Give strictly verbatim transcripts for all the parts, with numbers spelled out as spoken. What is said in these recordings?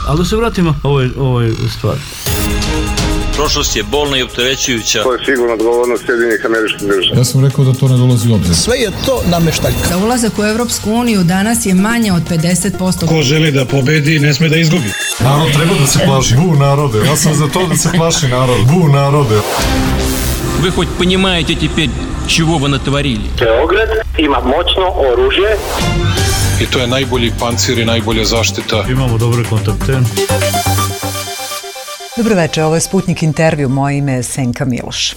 Ali da se vratimo ovoj, ovoj stvari. Prošlost je bolna i opterećujuća. To je sigurno odgovornost Sjedinjenih Američkih Država. Ja sam rekao da to ne dolazi u obzir. Sve je to nameštaljka. Za ulazak u Evropsku uniju danas je manje od pedeset posto. Ko želi da pobedi, ne sme da izgubi. Narod treba da se plaši. Bu narode. Ja sam za to da se plaši narod. Bu narode. Вы хоть понимаете теперь, чего вы натворили? Beograd ima moćno oružje. I to je najbolji pancir i najbolja zaštita. Imamo dobre kontakte. Dobro večer, ovo je Sputnik intervju, moje ime je Senka Miloš.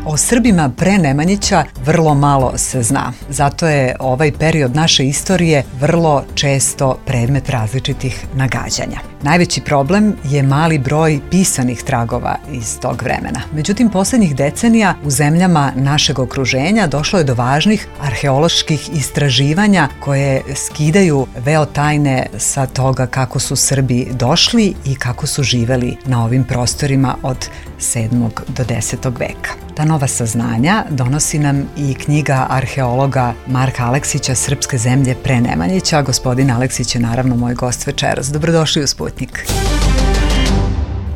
O Srbima pre Nemanjića vrlo malo se zna. Zato je ovaj period naše istorije vrlo često predmet različitih nagađanja. Najveći problem je mali broj pisanih tragova iz tog vremena. Međutim, poslednjih decenija u zemljama našeg okruženja došlo je do važnih arheoloških istraživanja koje skidaju veo tajne sa toga kako su Srbi došli i kako su živeli na ovim prostorima od sedmog do desetog veka. Ta nova saznanja donosi nam i knjiga arheologa Marka Aleksića Srpske zemlje pre Nemanjića. Gospodin Aleksić je naravno moj gost večeras. Dobrodošli u Sputnik.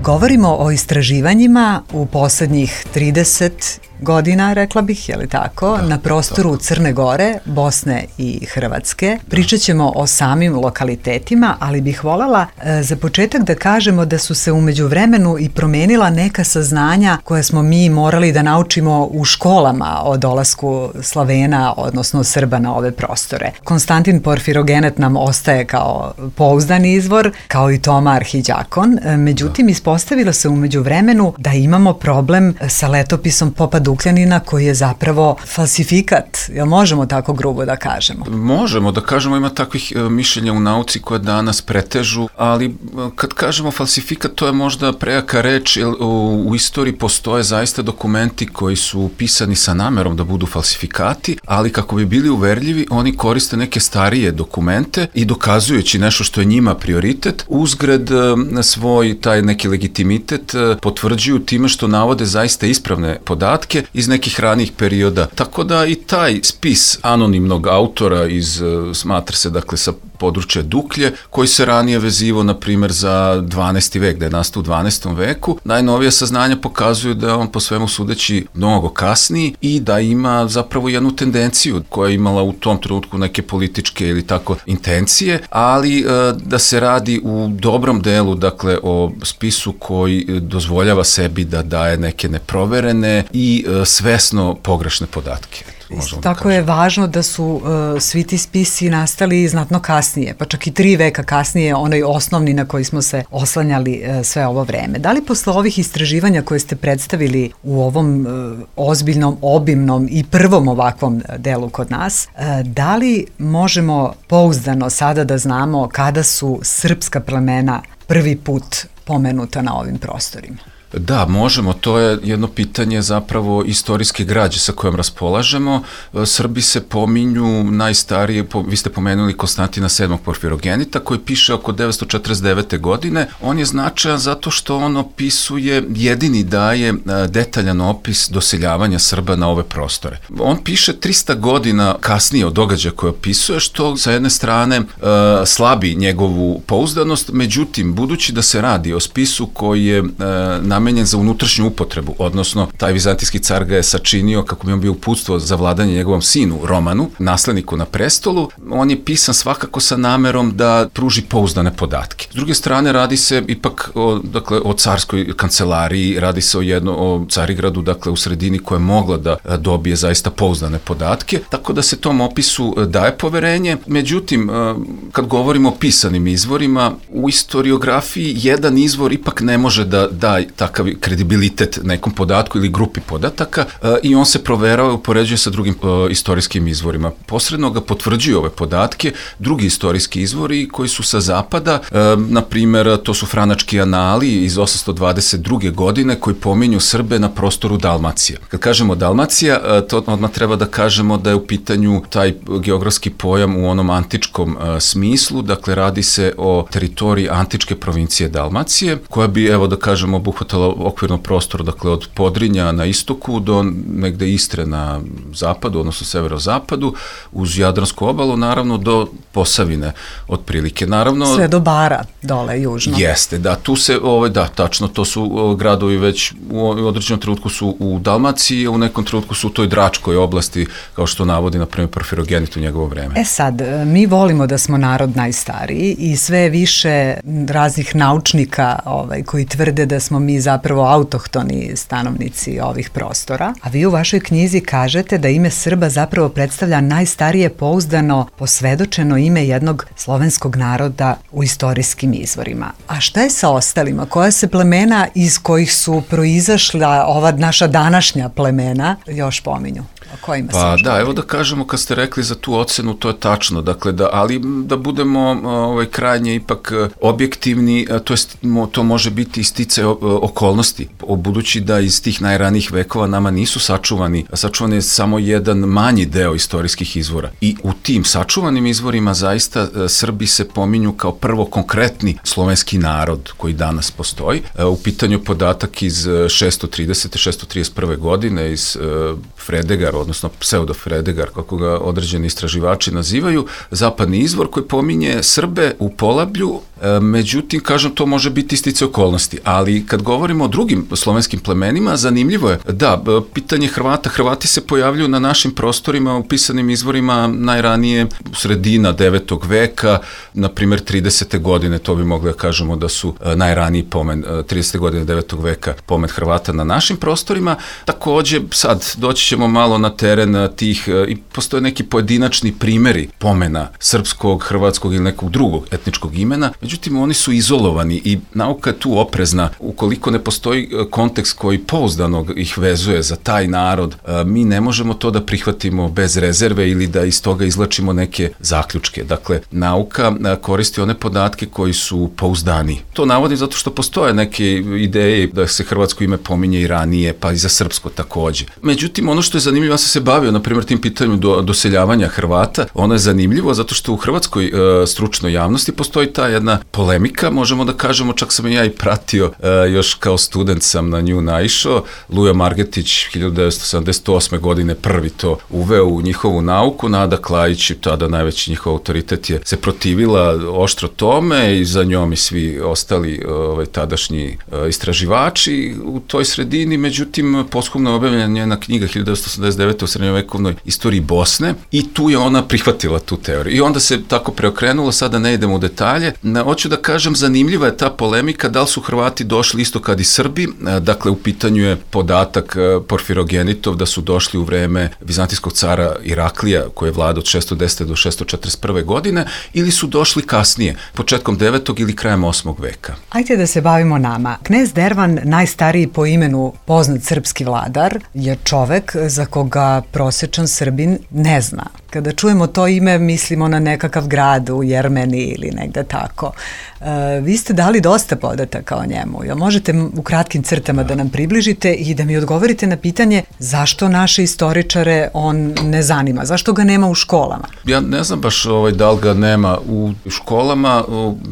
Govorimo o istraživanjima u poslednjih trideset godina, rekla bih, je li tako, da, na prostoru tako. Crne Gore, Bosne i Hrvatske. Pričat ćemo o samim lokalitetima, ali bih voljela e, za početak da kažemo da su se umeđu vremenu i promenila neka saznanja koje smo mi morali da naučimo u školama o dolasku Slavena, odnosno Srba na ove prostore. Konstantin Porfirogenet nam ostaje kao pouzdan izvor, kao i Toma Arhiđakon. E, međutim, da. Ispostavilo se umeđu vremenu da imamo problem sa letopisom Popa Dukljanina koji je zapravo falsifikat. Jel možemo tako grubo da kažemo? Možemo da kažemo, ima takvih e, mišljenja u nauci koje danas pretežu, ali e, kad kažemo falsifikat, to je možda prejaka reč, jer u, u istoriji postoje zaista dokumenti koji su pisani sa namerom da budu falsifikati, ali kako bi bili uverljivi, oni koriste neke starije dokumente i dokazujući nešto što je njima prioritet, uzgred e, svoj taj neki legitimitet e, potvrđuju time što navode zaista ispravne podatke iz nekih ranijih perioda. Tako da i taj spis anonimnog autora iz, smatra se dakle sa područja Duklje, koji se ranije vezivo, na primjer, za dvanaesti vek, da je nastao u dvanaestom veku. Najnovije saznanja pokazuju da je on po svemu sudeći mnogo kasniji i da ima zapravo jednu tendenciju koja je imala u tom trenutku neke političke ili tako intencije, ali e, da se radi u dobrom delu, dakle, o spisu koji dozvoljava sebi da daje neke neproverene i e, svesno pogrešne podatke. Tako je važno da su uh, svi ti spisi nastali znatno kasnije, pa čak i tri veka kasnije, onaj osnovni na koji smo se oslanjali uh, sve ovo vreme. Da li posle ovih istraživanja koje ste predstavili u ovom uh, ozbiljnom, obimnom i prvom ovakvom delu kod nas, uh, da li možemo pouzdano sada da znamo kada su srpska plemena prvi put pomenuta na ovim prostorima? Da, možemo, to je jedno pitanje zapravo istorijske građe sa kojom raspolažemo. Srbi se pominju najstarije, vi ste pomenuli Konstantina sedmog Porfirogenita koji piše oko devetsto četrdeset devete. godine. On je značajan zato što on opisuje, jedini daje detaljan opis doseljavanja Srba na ove prostore. On piše trista godina kasnije od događaja koje opisuje, što sa jedne strane slabi njegovu pouzdanost, međutim, budući da se radi o spisu koji je na namenjen za unutrašnju upotrebu, odnosno taj vizantijski car ga je sačinio kako bi on bio uputstvo za vladanje njegovom sinu Romanu, nasledniku na prestolu. On je pisan svakako sa namerom da pruži pouzdane podatke. S druge strane, radi se ipak o, dakle, o carskoj kancelariji, radi se o jedno o Carigradu, dakle u sredini koja je mogla da dobije zaista pouzdane podatke, tako da se tom opisu daje poverenje. Međutim, kad govorimo o pisanim izvorima, u historiografiji jedan izvor ipak ne može da da takav kredibilitet nekom podatku ili grupi podataka i on se proverava i upoređuje sa drugim istorijskim izvorima. Posredno ga potvrđuju ove podatke drugi istorijski izvori koji su sa zapada, na primjer to su Franački anali iz osamsto dvadeset druge. godine koji pominju Srbe na prostoru Dalmacije. Kad kažemo Dalmacija, to odmah treba da kažemo da je u pitanju taj geografski pojam u onom antičkom smislu, dakle radi se o teritoriji antičke provincije Dalmacije, koja bi, evo da kažemo, obuhvatala obuhvatala okvirno prostor, dakle od Podrinja na istoku do negde Istre na zapadu, odnosno severozapadu, uz Jadransku obalu, naravno do Posavine otprilike. Naravno, sve do Bara, dole, južno. Jeste, da, tu se, ovaj, da, tačno, to su o, gradovi već u određenom trenutku su u Dalmaciji, a u nekom trenutku su u toj Dračkoj oblasti, kao što navodi, na primjer, Porfirogenit u njegovo vreme. E sad, mi volimo da smo narod najstariji i sve više raznih naučnika ovaj, koji tvrde da smo mi zapravo autohtoni stanovnici ovih prostora, a vi u vašoj knjizi kažete da ime Srba zapravo predstavlja najstarije pouzdano posvedočeno ime jednog slovenskog naroda u istorijskim izvorima. A šta je sa ostalima? Koja se plemena iz kojih su proizašla ova naša današnja plemena još pominju? O kojima pa da, evo da kažemo, kad ste rekli za tu ocenu, to je tačno, dakle, da, ali da budemo ovaj, krajnje ipak objektivni, to, jest, to može biti isticaj okolnosti, budući da iz tih najranijih vekova nama nisu sačuvani, sačuvan je samo jedan manji deo istorijskih izvora. I u tim sačuvanim izvorima zaista Srbi se pominju kao prvo konkretni slovenski narod koji danas postoji. U pitanju podatak iz šesto tridesete šesto trideset prve godine iz Fredegar, odnosno pseudo Fredegar, kako ga određeni istraživači nazivaju, zapadni izvor koji pominje Srbe u Polablju, e, međutim, kažem, to može biti isticaj okolnosti, ali kad govorimo o drugim slovenskim plemenima, zanimljivo je, da, pitanje Hrvata, Hrvati se pojavljuju na našim prostorima u pisanim izvorima najranije sredina devetog veka, na primjer tridesete godine, to bi mogli da kažemo da su najraniji pomen, tridesete godine devetog veka pomen Hrvata na našim prostorima. Takođe, sad doći ćemo malo na teren tih, i postoje neki pojedinačni primeri pomena srpskog, hrvatskog ili nekog drugog etničkog imena, međutim oni su izolovani i nauka je tu oprezna. Ukoliko ne postoji kontekst koji pouzdano ih vezuje za taj narod, mi ne možemo to da prihvatimo bez rezerve ili da iz toga izlačimo neke zaključke. Dakle, nauka koristi one podatke koji su pouzdani. To navodim zato što postoje neke ideje da se hrvatsko ime pominje i ranije, pa i za srpsko takođe. Međutim, ono što je zanimljivo, ja sam se bavio, na primjer, tim pitanjem do, doseljavanja Hrvata, ono je zanimljivo zato što u hrvatskoj e, stručnoj javnosti postoji ta jedna polemika, možemo da kažemo, čak sam i ja i pratio, e, još kao student sam na nju naišao, Lujo Margetić hiljadu devetsto sedamdeset osme godine prvi to uveo u njihovu nauku, Nada Klajić, tada najveći njihov autoritet, je se protivila oštro tome i za njom i svi ostali ovaj, tadašnji e, istraživači u toj sredini, međutim, posthumno je objavljena njena knjiga hiljadu devetsto osamdeset devete u srednjovekovnoj istoriji Bosne i tu je ona prihvatila tu teoriju. I onda se tako preokrenulo, sada ne idemo u detalje. Hoću da kažem, zanimljiva je ta polemika da li su Hrvati došli isto kad i Srbi, dakle u pitanju je podatak Porfirogenitov da su došli u vreme vizantijskog cara Iraklija koji je vladao od šesto desete do šesto četrdeset prve godine ili su došli kasnije, početkom devetog ili krajem osmog veka. Ajde da se bavimo nama. Knez Dervan, najstariji po imenu poznat srpski vladar, je čovek za koga prosječan Srbin ne zna. Kada čujemo to ime, mislimo na nekakav grad u Jermeniji ili negde tako. E, vi ste dali dosta podataka o njemu. Jel možete u kratkim crtama da nam približite i da mi odgovorite na pitanje zašto naše istoričare on ne zanima? Zašto ga nema u školama? Ja ne znam baš ovaj, da li ga nema u školama,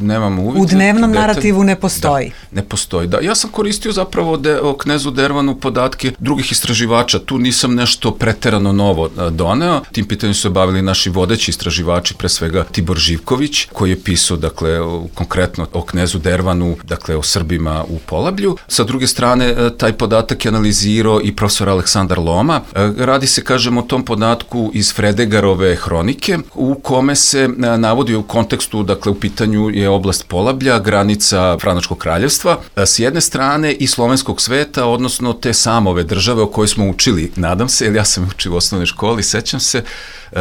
nemamo uvijek. U dnevnom narativu ne postoji. Da, ne postoji, da. Ja sam koristio zapravo de, o knezu Dervanu podatke drugih istraživača. Tu nisam nešto preterano novo doneo. Tim pitanjem su se bavili naši vodeći istraživači, pre svega Tibor Živković, koji je pisao, dakle, konkretno o knezu Dervanu, dakle, o Srbima u Polablju. Sa druge strane, taj podatak je analizirao i profesor Aleksandar Loma. Radi se, kažem, o tom podatku iz Fredegarove hronike, u kome se navodi u kontekstu, dakle, u pitanju je oblast Polablja, granica Franačkog kraljevstva, s jedne strane i slovenskog sveta, odnosno te samove države o kojoj smo učili, nadam se, jer ja sam učio u osnovnoj školi, sećam se,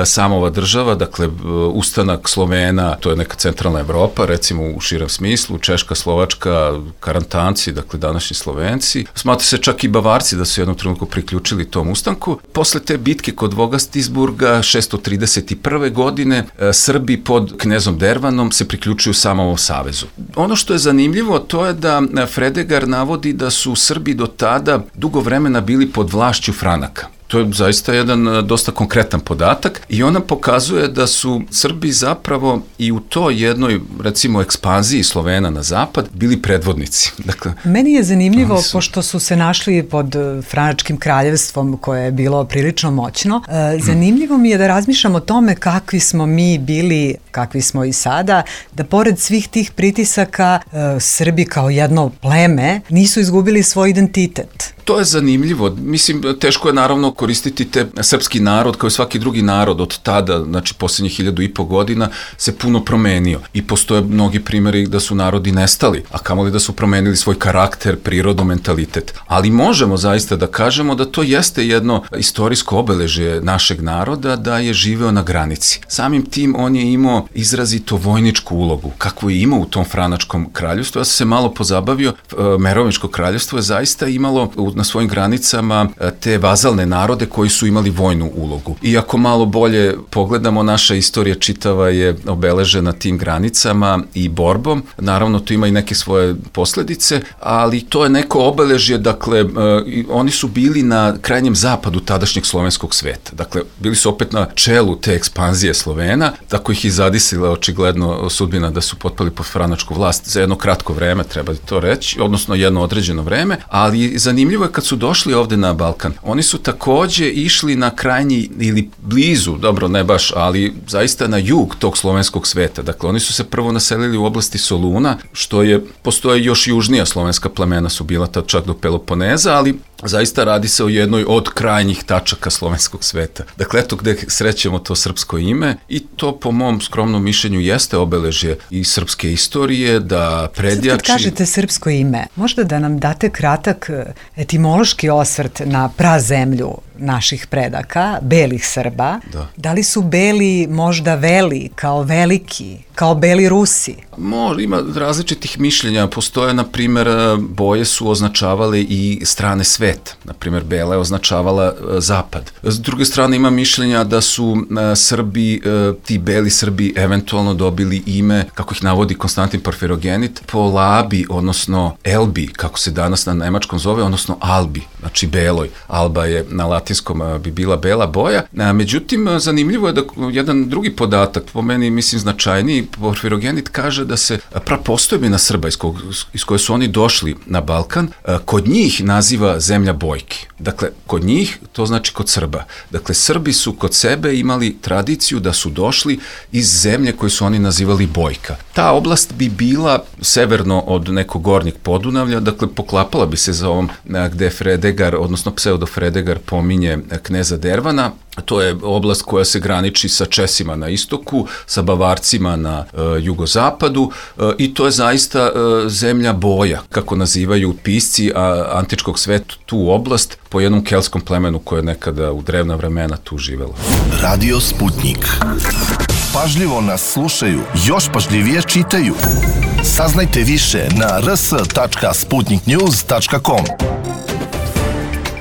samova država, dakle, ustanak Slovena, to je neka centralna Evropa, recimo u širem smislu, Češka, Slovačka, Karantanci, dakle, današnji Slovenci. Smatra se čak i Bavarci da su jednom trenutku priključili tom ustanku. Posle te bitke kod Vogastisburga, šesto trideset prve godine, Srbi pod knezom Dervanom se priključuju Samovom savezu. Ono što je zanimljivo, to je da Fredegar navodi da su Srbi do tada dugo vremena bili pod vlašću Franaka. To je zaista jedan dosta konkretan podatak i ona pokazuje da su Srbi zapravo i u toj jednoj, recimo, ekspanziji Slovena na zapad bili predvodnici. Dakle, meni je zanimljivo, su... pošto su se našli pod Franačkim kraljevstvom koje je bilo prilično moćno, zanimljivo mi je da razmišljam o tome kakvi smo mi bili, kakvi smo i sada, da pored svih tih pritisaka Srbi kao jedno pleme nisu izgubili svoj identitet. To je zanimljivo. Mislim, teško je naravno koristiti te srpski narod kao i svaki drugi narod od tada, znači posljednjih hiljadu i po godina se puno promenio i postoje mnogi primjeri da su narodi nestali, a kamoli da su promenili svoj karakter, prirodu, mentalitet. Ali možemo zaista da kažemo da to jeste jedno istorijsko obeležje našeg naroda, da je živeo na granici. Samim tim on je imao izrazito vojničku ulogu, kakvu je imao u tom Franačkom kraljevstvu. Ja sam se malo pozabavio, Merovinško kraljevstvo je zaista imalo na svojim granicama te vazalne narode koji su imali vojnu ulogu. I ako malo bolje pogledamo, naša istorija čitava je obeležena tim granicama i borbom. Naravno, to ima i neke svoje posledice, ali to je neko obeležje, dakle, oni su bili na krajnjem zapadu tadašnjeg slovenskog sveta. Dakle, bili su opet na čelu te ekspanzije Slovena, tako ih i zadisila očigledno sudbina da su potpali pod franačku vlast za jedno kratko vreme, treba to reći, odnosno jedno određeno vreme, ali zanimljivo je kad su došli ovde na Balkan. Oni su takođe išli na krajnji ili blizu, dobro ne baš, ali zaista na jug tog slovenskog sveta. Dakle, oni su se prvo naselili u oblasti Soluna, što je, postoje još južnija slovenska plemena su bila tad čak do Peloponeza, ali zaista radi se o jednoj od krajnjih tačaka slovenskog sveta. Dakle, eto gde srećemo to srpsko ime i to po mom skromnom mišljenju jeste obeležje i srpske istorije, da predjači... Sad kad kažete srpsko ime, možda da nam date kratak etimološki osvrt na prazemlju naših predaka, belih Srba. Da. Da li su beli možda veli, kao veliki, kao beli Rusi? Može, ima različitih mišljenja. Postoje, na primjer, boje su označavale i strane sveta. Na primjer, bela je označavala zapad. S druge strane, ima mišljenja da su Srbi, ti beli Srbi, eventualno dobili ime, kako ih navodi Konstantin Porfirogenit, po Labi, odnosno Elbi, kako se danas na nemačkom zove, odnosno Albi, znači beloj. Alba je na latinskom bi bila bela boja. Međutim, zanimljivo je da jedan drugi podatak, po meni, mislim, značajniji, Porfirogenit kaže da se prapostojbina Srba iz, kog, iz koje su oni došli na Balkan, kod njih naziva zemlja Bojki. Dakle, kod njih, to znači kod Srba. Dakle, Srbi su kod sebe imali tradiciju da su došli iz zemlje koju su oni nazivali Bojka. Ta oblast bi bila severno od nekog gornjeg Podunavlja, dakle, poklapala bi se za ovom gde Fredegar, odnosno pseudo Fredegar pominje kneza Dervana. To je oblast koja se graniči sa Česima na istoku, sa Bavarcima na e, jugozapadu e, i to je zaista e, zemlja boja, kako nazivaju pisci a, antičkog sveta tu oblast, po jednom kelskom plemenu koje je nekada u drevna vremena tu živelo. Radio Sputnik. Pažljivo nas slušaju, još pažljivije čitaju. Saznajte više na r s tačka sputnik news tačka com.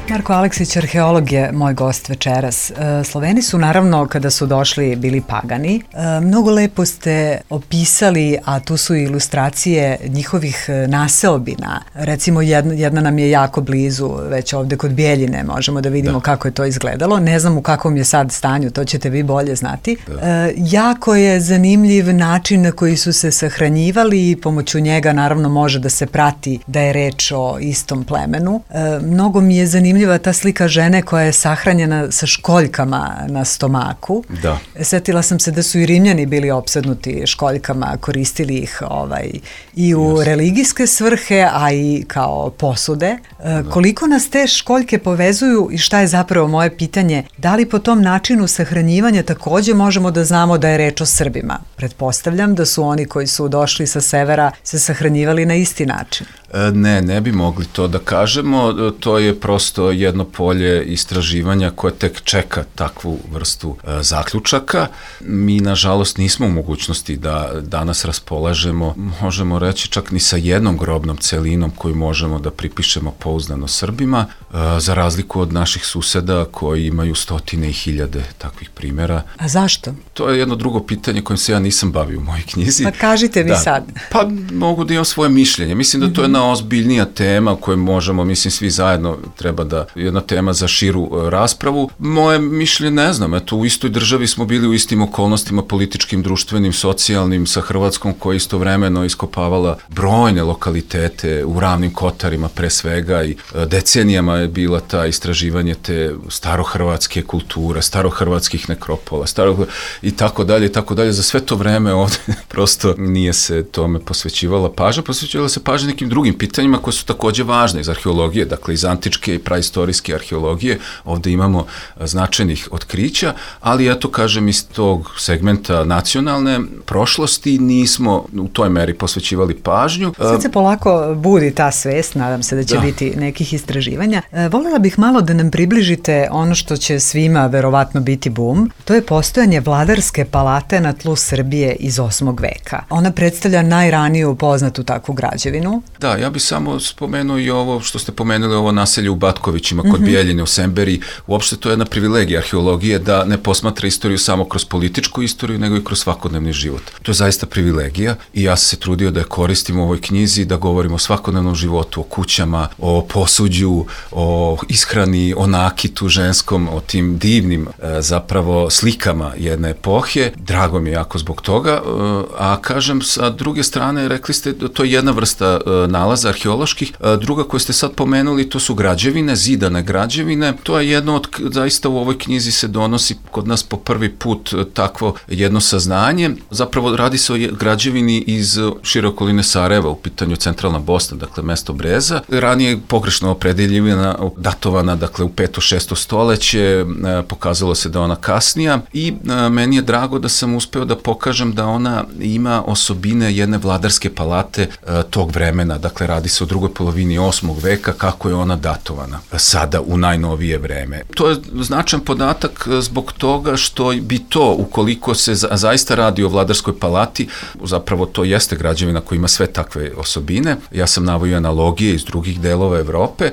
Marko Aleksić, arheolog, je moj gost večeras. Sloveni su naravno kada su došli bili pagani. Mnogo lepo ste opisali, a tu su ilustracije njihovih naseobina. Recimo jedna, jedna nam je jako blizu, već ovde kod Bijeljine možemo da vidimo da. Kako je to izgledalo. Ne znam u kakvom je sad stanju, to ćete vi bolje znati. Da. Jako je zanimljiv način na koji su se sahranjivali i pomoću njega naravno može da se prati da je reč o istom plemenu. Mnogo mi je zanimljivo ta slika žene koja je sahranjena sa školjkama na stomaku. Da. Setila sam se da su i Rimljani bili opsednuti školjkama, koristili ih ovaj, i u yes. religijske svrhe, a i kao posude. Da. Koliko nas te školjke povezuju i šta je zapravo moje pitanje, da li po tom načinu sahranjivanja takođe možemo da znamo da je reč o Srbima? Pretpostavljam da su oni koji su došli sa severa se sahranjivali na isti način. Ne, ne bi mogli to da kažemo, to je prosto jedno polje istraživanja koje tek čeka takvu vrstu e, zaključaka. Mi, nažalost, nismo u mogućnosti da danas raspolažemo, možemo reći čak ni sa jednom grobnom celinom koju možemo da pripišemo pouzdano Srbima, e, za razliku od naših suseda koji imaju stotine i hiljade takvih primjera. A zašto? To je jedno drugo pitanje kojim se ja nisam bavio u mojoj knjizi. Pa kažite vi da, sad. Pa mogu da imam svoje mišljenje. Mislim da to je jedna ozbiljnija tema o kojoj možemo, mislim, svi zajedno treba da zaista jedna tema za širu raspravu. Moje mišljenje ne znam, eto u istoj državi smo bili u istim okolnostima političkim, društvenim, socijalnim sa Hrvatskom koja je istovremeno iskopavala brojne lokalitete u Ravnim Kotarima pre svega i decenijama je bila ta istraživanje te starohrvatske kulture, starohrvatskih nekropola, staro i tako dalje i tako dalje. Za sve to vreme ovde prosto nije se tome posvećivala pažnja, posvećivala se pažnja nekim drugim pitanjima koje su takođe važne iz arheologije, dakle iz antičke i praistorijske arheologije. Ovde imamo značajnih otkrića, ali eto kažem iz tog segmenta nacionalne prošlosti nismo u toj meri posvećivali pažnju. Sad se polako budi ta svest, nadam se da će da. biti nekih istraživanja. E, voljela bih malo da nam približite ono što će svima verovatno biti bum. To je postojanje vladarske palate na tlu Srbije iz osmog veka. Ona predstavlja najraniju poznatu takvu građevinu. Da, ja bih samo spomenuo i ovo što ste pomenuli, ovo naselje u Batkovićima kod mm-hmm. Bijeljine u Semberi. Uopšte to je jedna privilegija arheologije da ne posmatra istoriju samo kroz političku istoriju, nego i kroz svakodnevni život. To je zaista privilegija i ja sam se trudio da je koristim u ovoj knjizi, da govorimo o svakodnevnom životu, o kućama, o posuđu, o ishrani, o nakitu ženskom, o tim divnim e, zapravo slikama jedne epohe. Drago mi je jako zbog toga, e, a kažem sa druge strane, rekli ste da to je jedna vrsta e, nalaza arheoloških, e, druga koju ste sad pomenuli, to su građevine, zidane građevine. To je jedno od, zaista u ovoj knjizi se donosi kod nas po prvi put takvo jedno saznanje. Zapravo radi se o građevini iz šire okoline Sarajeva, u pitanju centralna Bosna, dakle mesto Breza. Ranije je pogrešno opredeljivana, datovana, dakle u peto šesto stoleće, pokazalo se da ona kasnija i meni je drago da sam uspeo da pokažem da ona ima osobine jedne vladarske palate tog vremena, dakle radi se o drugoj polovini osmog veka, kako je ona datovana sada u najnovije vreme. To je značajan podatak zbog toga što bi to, ukoliko se za, zaista radi o vladarskoj palati, zapravo to jeste građevina koja ima sve takve osobine. Ja sam navodio analogije iz drugih delova Evrope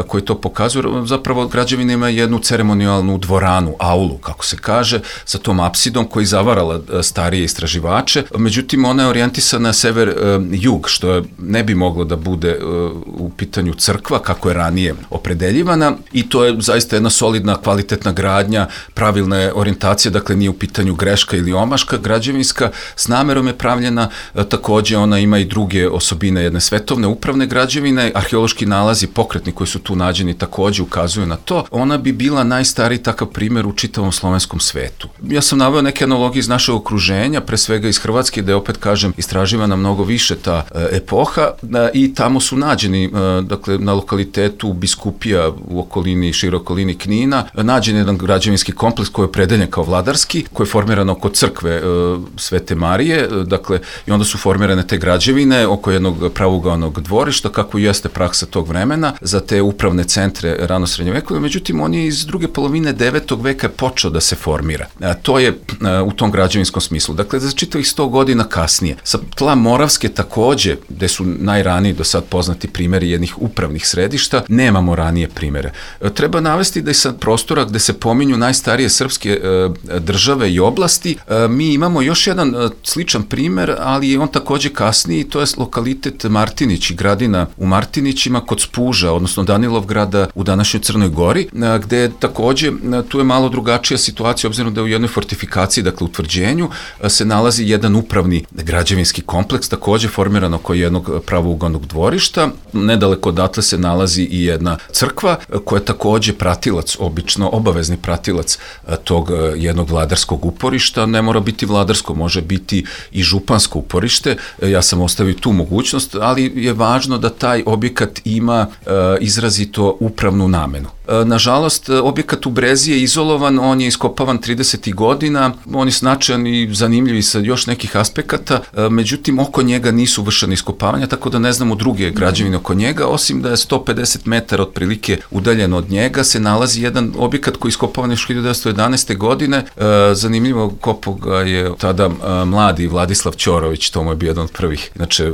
koji to pokazuju. Zapravo građevina ima jednu ceremonijalnu dvoranu, aulu, kako se kaže, sa tom apsidom koji zavarala starije istraživače. Međutim, ona je orijentisana na sever-jug, što je, ne bi moglo da bude u pitanju crkva, kako je ranije opredeljivana, i to je zaista jedna solidna, kvalitetna gradnja, pravilna je orijentacija, dakle nije u pitanju greška ili omaška građevinska, s namerom je pravljena, takođe ona ima i druge osobine jedne svetovne upravne građevine, arheološki nalazi pokretni koji su tu nađeni takođe ukazuju na to. Ona bi bila najstariji takav primer u čitavom slovenskom svetu. Ja sam naveo neke analogije iz našeg okruženja, pre svega iz Hrvatske, da je opet kažem istraživana mnogo više ta epoha i tamo su nađeni, dakle na lokalitetu Biskupija u okolini, široj okolini Knina, nađen jedan građevinski kompleks koji je opredeljen kao vladarski, koji je formiran oko crkve Svete Marije, dakle i onda su formirane te građevine oko jednog pravougaonog dvorišta, kako jeste praksa tog vremena za te upravne centre rano srednjovekovne. Međutim, on je iz druge polovine devetog veka počeo da se formira. A, to je a, u tom građevinskom smislu. Dakle, za čitavih sto godina kasnije. Sa tla Moravske takođe, gde su najraniji do sad poznati primeri jednih upravnih središta, nemamo ranije primere. A, treba navesti da je sa prostora gde se pominju najstarije srpske a, države i oblasti, a, mi imamo još jedan a, sličan primer, ali je on takođe kasniji, to je lokalitet Martinić i gradina u Martinićima kod Spuža, odnosno Danilovgrada u današnjoj Crnoj Gori, gde je takođe, tu je malo drugačija situacija, obzirom da je u jednoj fortifikaciji, dakle utvrđenju, se nalazi jedan upravni građevinski kompleks, takođe formiran oko jednog pravougaonog dvorišta. Nedaleko odatle se nalazi i jedna crkva, koja je takođe pratilac, obično obavezni pratilac tog jednog vladarskog uporišta. Ne mora biti vladarsko, može biti i župansko uporište. Ja sam ostavio tu mogućnost, ali je važno da taj objekat ima e, izrazito upravnu namenu. E, nažalost, objekat u Brezi je izolovan, on je iskopavan tridesetih godina, on je značajan i zanimljiv sa još nekih aspekata, e, međutim, oko njega nisu vršene iskopavanja, tako da ne znamo druge građevine oko njega, osim da je sto pedeset metara otprilike udaljeno od njega, se nalazi jedan objekat koji je iskopavan još hiljadu devetsto jedanaeste. godine. E, zanimljivo, kopao ga je tada e, mladi Vladislav Ćorović, to mu je bio jedan od prvih, znači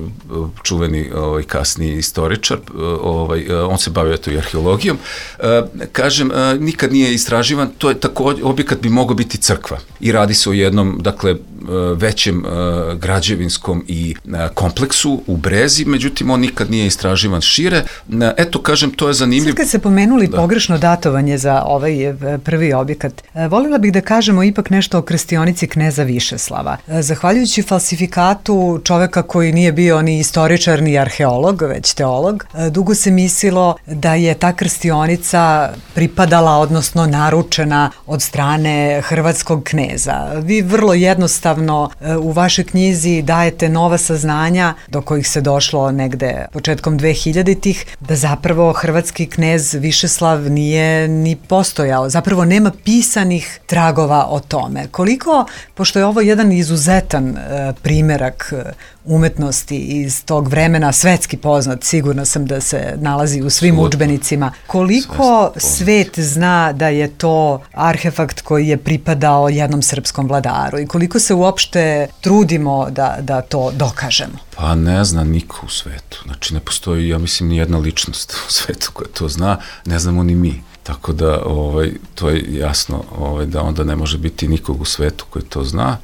čuveni ovaj, kasniji istoričar, ovaj, on se bavio to i arheologijom. kažem, a, nikad nije istraživan, to je također, objekat bi mogao biti crkva i radi se o jednom, dakle, većem a, građevinskom i a, kompleksu u Brezi, međutim on nikad nije istraživan šire. A, eto, kažem, to je zanimljivo. Sad kad se pomenuli da. pogrešno datovanje za ovaj prvi objekat, voljela bih da kažemo ipak nešto o krstionici kneza Višeslava. Zahvaljujući falsifikatu čoveka koji nije bio ni istoričar ni arheolog, već teolog, dugo se mislilo da je ta krstionica pripadala, odnosno naručena od strane hrvatskog kneza. Vi vrlo jednostavno u vašoj knjizi dajete nova saznanja do kojih se došlo negde početkom dvehiljaditih, da zapravo hrvatski knez Višeslav nije ni postojao. Zapravo nema pisanih tragova o tome. Koliko, pošto je ovo jedan izuzetan e, primerak e, umetnosti iz tog vremena, svetski poznat, sigurno sam da se nalazi u svim udžbenicima, koliko svet zna da je to arhefakt koji je pripadao jednom srpskom vladaru i koliko se uopšte trudimo da, da to dokažemo? Pa ne zna niko u svetu. Znači ne postoji, ja mislim, ni jedna ličnost u svetu koja to zna, ne znamo ni mi. Tako da ovaj, to je jasno ovaj, da onda ne može biti nikog u svetu koji to zna.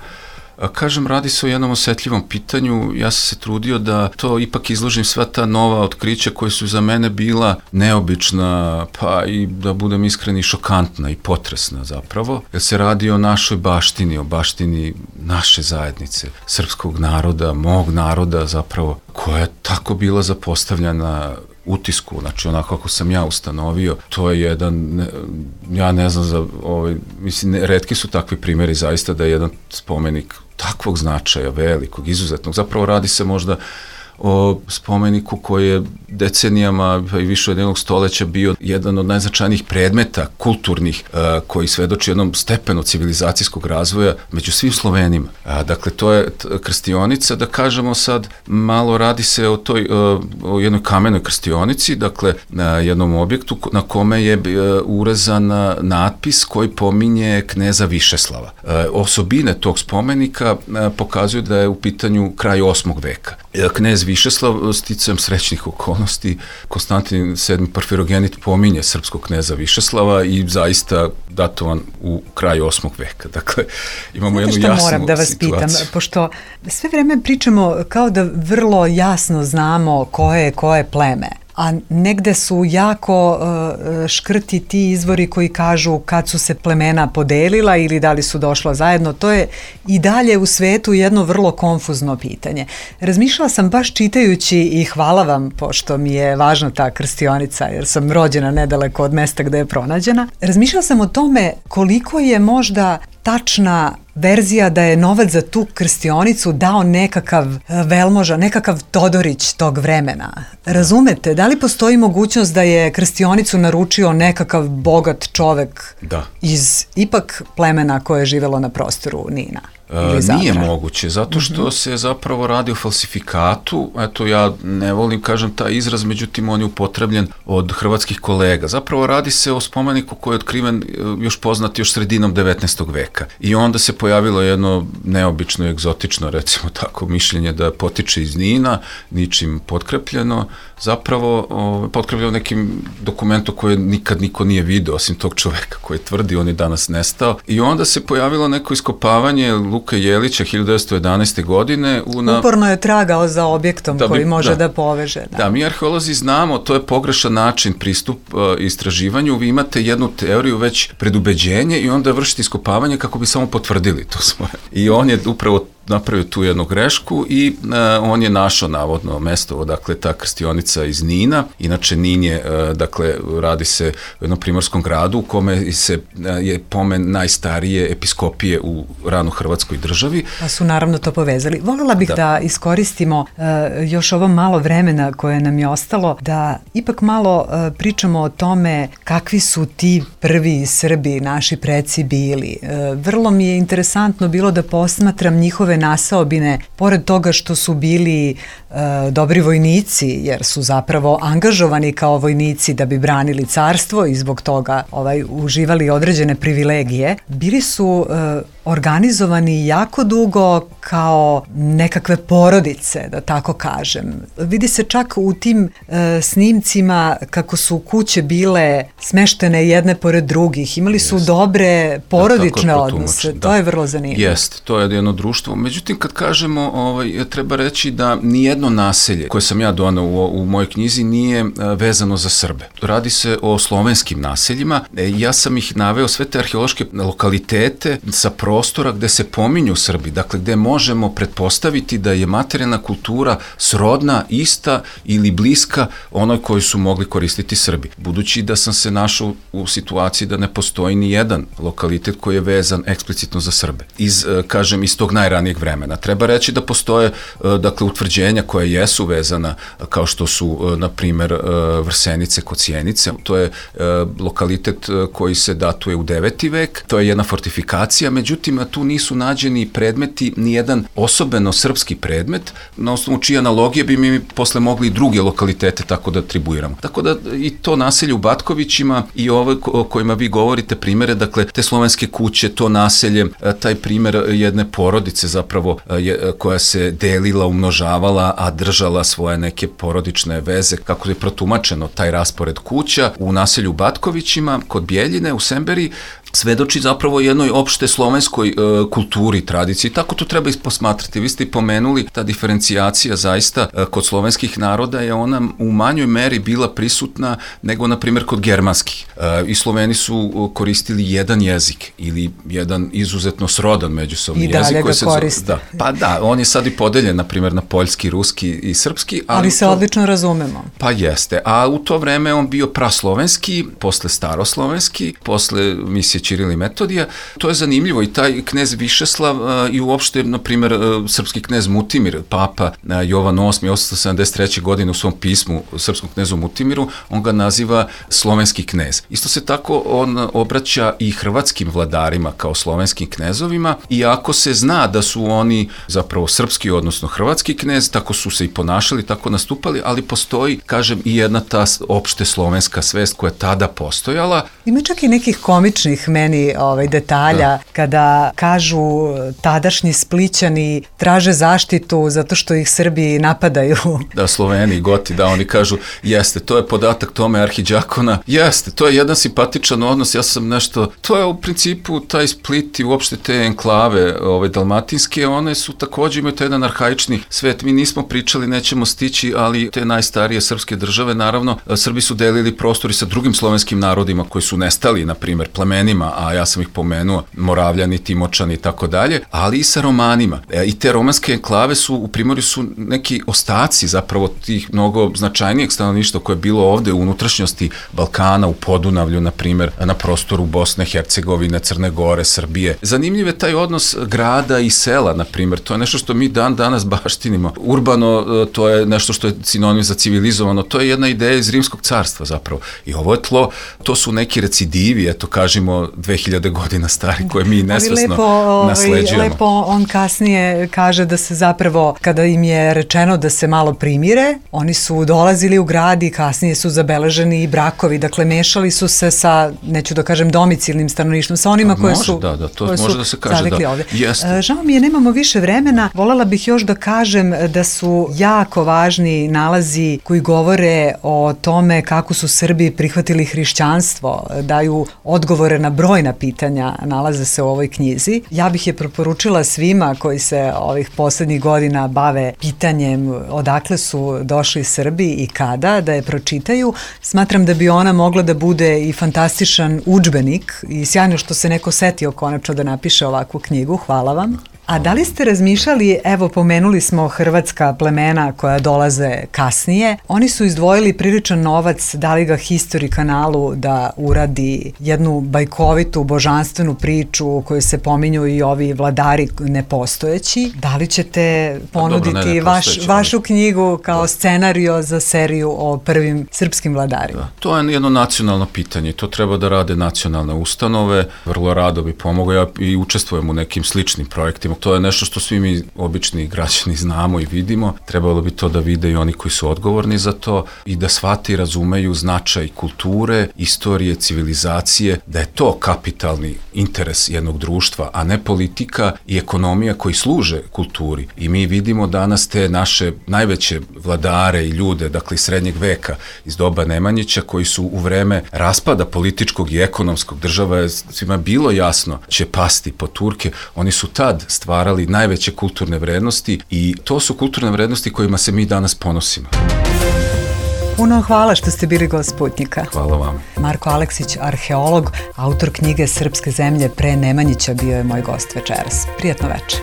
A kažem, radi se o jednom osetljivom pitanju, ja sam se trudio da to ipak izložim sva ta nova otkrića koje su za mene bila neobična, pa i da budem iskreni šokantna i potresna zapravo, jer se radi o našoj baštini, o baštini naše zajednice, srpskog naroda, mog naroda zapravo, koja je tako bila zapostavljena utisku, znači onako kako sam ja ustanovio, to je jedan, ne, ja ne znam za, ovaj, mislim, ne, retki su takvi primjeri zaista da je jedan spomenik takvog značaja, velikog, izuzetnog, zapravo radi se možda o spomeniku koji je decenijama i više od jednog stoleća bio jedan od najznačajnijih predmeta kulturnih uh, koji svedoči jednom stepenu civilizacijskog razvoja među svim Slovenima. Uh, dakle, to je krstionica, da kažemo sad, malo radi se o toj, uh, o jednoj kamenoj krstionici, dakle, na jednom objektu na kome je uh, urezan natpis koji pominje kneza Višeslava. Uh, osobine tog spomenika uh, pokazuju da je u pitanju kraj osmog veka. Uh, knez Višeslav, sticajem srećnih okolnosti, Konstantin sedmi Porfirogenit pominje srpskog kneza Višeslava i zaista datovan u kraju osmog veka. Dakle, imamo jednu jasnu situaciju. Moram da vas pitam, pošto sve vreme pričamo kao da vrlo jasno znamo koje je koje pleme, a negde su jako uh, škrti ti izvori koji kažu kad su se plemena podelila ili da li su došla zajedno. To je i dalje u svetu jedno vrlo konfuzno pitanje. Razmišljala sam baš čitajući i hvala vam, pošto mi je važna ta krstionica, jer sam rođena nedaleko od mesta gde je pronađena. Razmišljala sam o tome koliko je možda tačna verzija da je novac za tu krstionicu dao nekakav velmoža, nekakav Todorić tog vremena. Razumete, da li postoji mogućnost da je krstionicu naručio nekakav bogat čovek da. iz ipak plemena koje je živelo na prostoru Nina? Uh, nije moguće, zato što mm-hmm. se zapravo radi o falsifikatu, eto ja ne volim kažem taj izraz, međutim on je upotrebljen od hrvatskih kolega. Zapravo radi se o spomeniku koji je otkriven još poznat još sredinom devetnaestog veka i onda se pojavilo jedno neobično, egzotično, recimo tako, mišljenje da potiče iz Nina, ničim potkrepljeno, zapravo o, potkrepljeno nekim dokumentom koje nikad niko nije vidio, osim tog čoveka koji tvrdi, on je danas nestao. I onda se pojavilo neko iskopavanje Luka Jelića hiljadu devetsto jedanaeste. godine. U na... Uporno je tragao za objektom da bi, koji može da, da poveže. Da. da, mi arheolozi znamo, to je pogrešan način pristup uh, istraživanju, vi imate jednu teoriju već predubeđenje i onda vršite iskopavanje kako bi samo potvrdili to svoje. I on je upravo napravio tu jednu grešku i uh, on je našao navodno mesto odakle ta krstionica iz Nina. Inače Nin je, uh, dakle, radi se u jednom primorskom gradu u kome se, uh, je pomen najstarije episkopije u rano hrvatskoj državi. Pa su naravno to povezali. Voljela bih da, da iskoristimo uh, još ovo malo vremena koje nam je ostalo, da ipak malo uh, pričamo o tome kakvi su ti prvi Srbi, naši preci bili. Uh, vrlo mi je interesantno bilo da posmatram njihove naseobine, pored toga što su bili e, dobri vojnici, jer su zapravo angažovani kao vojnici da bi branili carstvo i zbog toga ovaj, uživali određene privilegije, bili su e, organizovani jako dugo kao nekakve porodice, da tako kažem. Vidi se čak u tim e, snimcima kako su kuće bile smeštene jedne pored drugih, imali su Jest. dobre porodične da, odnose, da. To je vrlo zanimljivo. Jest, to je jedno društvo. Međutim, kad kažemo, ovaj, treba reći da nijedno naselje koje sam ja donao u, u mojoj knjizi nije vezano za Srbe. Radi se o slovenskim naseljima. E, ja sam ih naveo sve te arheološke lokalitete sa prostora gde se pominju Srbi, dakle gde možemo pretpostaviti da je materijalna kultura srodna, ista ili bliska onoj koju su mogli koristiti Srbi. Budući da sam se našao u situaciji da ne postoji ni jedan lokalitet koji je vezan eksplicitno za Srbe. Iz, kažem, iz tog najranijeg vremena. Treba reći da postoje, dakle, utvrđenja koja jesu vezana, kao što su, na primer, Vrsenice kod Sjenice. To je lokalitet koji se datuje u deveti vek. To je jedna fortifikacija, međutim, tu nisu nađeni predmeti, nijedan osobeno srpski predmet, na osnovu čije analogije bi mi posle mogli i druge lokalitete tako da atribuiramo. Tako da i to naselje u Batkovićima i ove o kojima vi govorite primere, dakle, te slovenske kuće, to naselje, taj primer jedne porodice zapravo je, koja se delila, umnožavala, a držala svoje neke porodične veze, kako je protumačeno taj raspored kuća u naselju Batkovićima kod Bjeljine u Semberi, svedoči zapravo jednoj opšte slovenskoj e, kulturi, tradiciji. Tako to treba posmatrati. Vi ste i pomenuli, ta diferencijacija zaista e, kod slovenskih naroda je ona u manjoj meri bila prisutna nego, na primjer, kod germanskih. E, I Sloveni su koristili jedan jezik ili jedan izuzetno srodan međusobni jezik. I dalje ga se koriste. Da, pa da, on je sad i podeljen, na primjer, na poljski, ruski i srpski. Ali, ali se to, odlično razumemo. Pa jeste. A u to vreme on bio praslovenski, posle staroslovenski, posle misije Ćiril i Metodija. To je zanimljivo i taj knez Višeslav uh, i uopšte, na primjer, uh, srpski knez Mutimir, papa uh, Jovan osmi, osamsto sedamdeset treće. godine u svom pismu srpskom knezu Mutimiru, on ga naziva slovenski knez. Isto se tako on obraća i hrvatskim vladarima kao slovenskim knezovima, iako se zna da su oni zapravo srpski, odnosno hrvatski knez, tako su se i ponašali, tako nastupali, ali postoji, kažem, i jedna ta opšte slovenska svest koja je tada postojala. Ima čak i nekih komičnih meni ovaj, detalja, da. Kada kažu tadašnji Splićani traže zaštitu zato što ih Srbi napadaju. Da, Sloveni, Goti, da, oni kažu, jeste, to je podatak Tome Arhiđakona, jeste, to je jedan simpatičan odnos, ja sam nešto, to je u principu taj Split i uopšte te enklave ovaj, dalmatinske, one su također imaju taj jedan arhaični svet, mi nismo pričali, nećemo stići, ali te najstarije srpske države, naravno, Srbi su delili prostor i sa drugim slovenskim narodima koji su nestali, na primjer, plemenima, a ja sam ih pomenuo, Moravljani, Timočani i tako dalje, ali i sa Romanima. E, I te romanske enklave su, u Primorju su neki ostaci zapravo tih mnogo značajnijeg stanovništva koje je bilo ovde u unutrašnjosti Balkana, u Podunavlju, na primjer, na prostoru Bosne, Hercegovine, Crne Gore, Srbije. Zanimljiv je taj odnos grada i sela, na primjer, to je nešto što mi dan danas baštinimo. Urbano, to je nešto što je sinonim za civilizovano, to je jedna ideja iz Rimskog carstva zapravo. I ovo je tlo, to su neki recidivi, eto kažemo, dve hiljade godina stari koje mi nesvesno lepo, nasleđujemo. Lepo on kasnije kaže da se zapravo, kada im je rečeno da se malo primire, oni su dolazili u grad i kasnije su zabeleženi i brakovi, dakle mešali su se sa, neću da kažem domicilnim stanovništvom, sa onima koje može, su da, da, to može da se kaže, da. Ovde. Žao mi je, nemamo više vremena, voljela bih još da kažem da su jako važni nalazi koji govore o tome kako su Srbi prihvatili hrišćanstvo, daju odgovore na brojna pitanja, nalaze se u ovoj knjizi. Ja bih je preporučila svima koji se ovih poslednjih godina bave pitanjem odakle su došli Srbi i kada, da je pročitaju. Smatram da bi ona mogla da bude i fantastičan udžbenik i sjajno što se neko setio konačno da napiše ovakvu knjigu. Hvala vam. A da li ste razmišljali, evo pomenuli smo hrvatska plemena koja dolaze kasnije, oni su izdvojili priličan novac, dali ga History kanalu da uradi jednu bajkovitu, božanstvenu priču u kojoj se pominju i ovi vladari nepostojeći. Da li ćete ponuditi dobro, ne, vaš, vašu knjigu kao da. Scenario za seriju o prvim srpskim vladarima? Da. To je jedno nacionalno pitanje, to treba da rade nacionalne ustanove, vrlo rado bi pomogao, ja i učestvujem u nekim sličnim projektima možemo. To je nešto što svi mi obični građani znamo i vidimo. Trebalo bi to da vide i oni koji su odgovorni za to i da shvate i razumeju značaj kulture, istorije, civilizacije, da je to kapitalni interes jednog društva, a ne politika i ekonomija koji služe kulturi. I mi vidimo danas te naše najveće vladare i ljude, dakle iz srednjeg veka, iz doba Nemanjića, koji su u vreme raspada političkog i ekonomskog, država je svima bilo jasno će pasti po Turke, oni su tad stvarali najveće kulturne vrednosti i to su kulturne vrednosti kojima se mi danas ponosimo. Puno hvala što ste bili gost Sputnjika. Hvala vam. Marko Aleksić, arheolog, autor knjige Srpske zemlje pre Nemanjića, bio je moj gost večeras. Prijatno večer.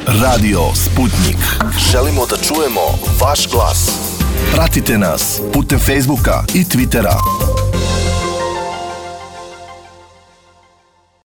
Radio Sputnik. Želimo da čujemo vaš glas. Pratite nas putem Facebooka i Twittera.